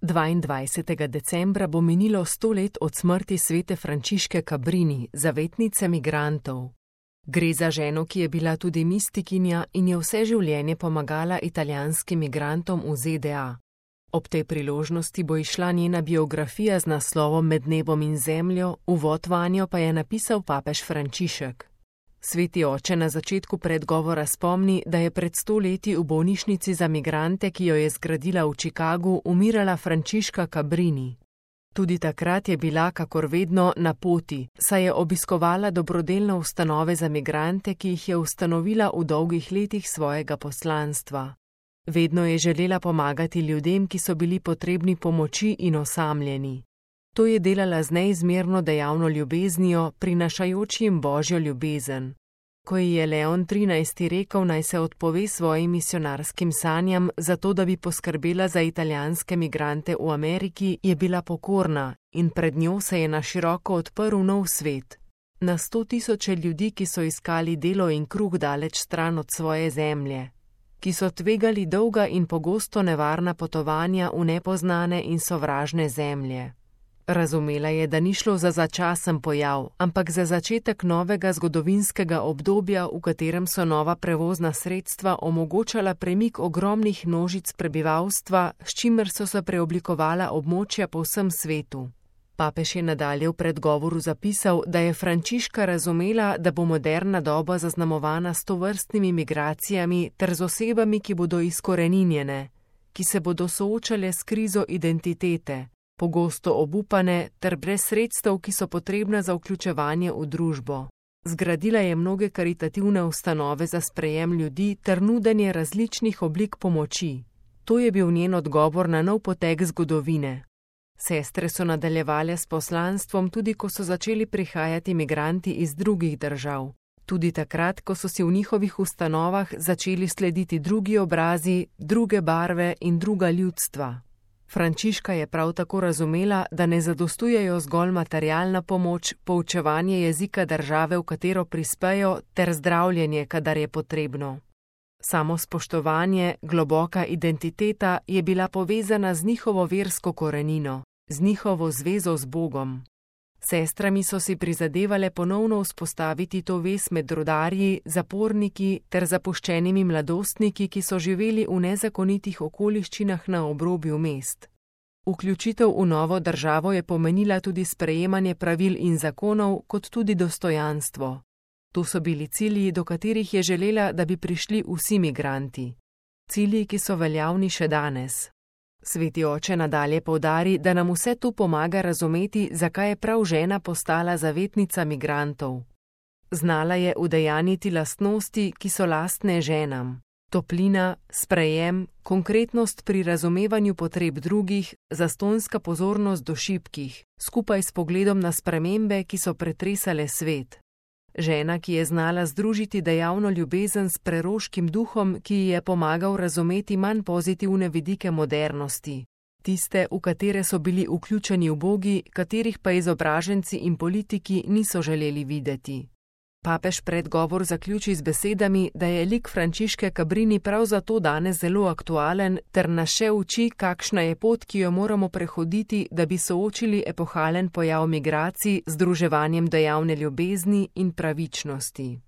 22. decembra bo minilo 100 let od smrti svete Frančiške Cabrini, zavetnice migrantov. Gre za ženo, ki je bila tudi mistikinja in je vse življenje pomagala italijanskim migrantom v ZDA. Ob tej priložnosti bo izšla njena biografija z naslovom Med nebom in zemljo, uvod vanjo pa je napisal papež Frančišek. Sveti oče na začetku predgovora spomni, da je pred 100 leti v bolnišnici za migrante, ki jo je zgradila v Chicagu, umirala Frančiška Cabrini. Tudi takrat je bila, kakor vedno, na poti, saj je obiskovala dobrodelne ustanove za migrante, ki jih je ustanovila v dolgih letih svojega poslanstva. Vedno je želela pomagati ljudem, ki so bili potrebni pomoči in osamljeni. To je delala z neizmerno dejavno ljubeznijo, prinašajoč jim Božjo ljubezen. Ko ji je Leon XIII. Rekel, naj se odpove svojim misionarskim sanjam, zato da bi poskrbela za italijanske migrante v Ameriki, je bila pokorna in pred njo se je na široko odprl nov svet. Na 100 tisoče ljudi, ki so iskali delo in kruh daleč stran od svoje zemlje, ki so tvegali dolga in pogosto nevarna potovanja v nepoznane in sovražne zemlje. Razumela je, da ni šlo za začasen pojav, ampak za začetek novega zgodovinskega obdobja, v katerem so nova prevozna sredstva omogočala premik ogromnih množic prebivalstva, s čimer so se preoblikovala območja po vsem svetu. Papež je nadalje v predgovoru zapisal, da je Frančiška razumela, da bo moderna doba zaznamovana s tovrstnimi migracijami ter z osebami, ki bodo izkoreninjene, ki se bodo soočale s krizo identitete, pogosto obupane ter brez sredstev, ki so potrebna za vključevanje v družbo. Zgradila je mnoge karitativne ustanove za sprejem ljudi ter nudenje različnih oblik pomoči. To je bil njen odgovor na nov potek zgodovine. Sestre so nadaljevale s poslanstvom tudi, ko so začeli prihajati migranti iz drugih držav. Tudi takrat, ko so si v njihovih ustanovah začeli slediti drugi obrazi, druge barve in druga ljudstva. Frančiška je prav tako razumela, da ne zadostujejo zgolj materialna pomoč, poučevanje jezika države, v katero prispejo, ter zdravljenje, kadar je potrebno. Samo spoštovanje, globoka identiteta je bila povezana z njihovo versko korenino, z njihovo zvezo z Bogom. Sestrami so si prizadevale ponovno vzpostaviti to vez med rudarji, zaporniki ter zapuščenimi mladostniki, ki so živeli v nezakonitih okoliščinah na obrobju mest. Vključitev v novo državo je pomenila tudi sprejemanje pravil in zakonov, kot tudi dostojanstvo. To so bili cilji, do katerih je želela, da bi prišli vsi migranti. Cilji, ki so veljavni še danes. Sveti oče nadalje poudari, da nam vse to pomaga razumeti, zakaj je prav žena postala zavetnica migrantov. Znala je udejanjiti lastnosti, ki so lastne ženam. Toplina, sprejem, konkretnost pri razumevanju potreb drugih, zastonjska pozornost do šibkih, skupaj s pogledom na spremembe, ki so pretresale svet. Žena, ki je znala združiti dejavno ljubezen s preroškim duhom, ki ji je pomagal razumeti manj pozitivne vidike modernosti, tiste, v katere so bili vključeni ubogi, katerih pa izobraženci in politiki niso želeli videti. Papež predgovor zaključi z besedami, da je lik Frančiške Cabrini prav zato danes zelo aktualen ter nas še uči, kakšna je pot, ki jo moramo prehoditi, da bi soočili epohalen pojav migracij z združevanjem dejavne ljubezni in pravičnosti.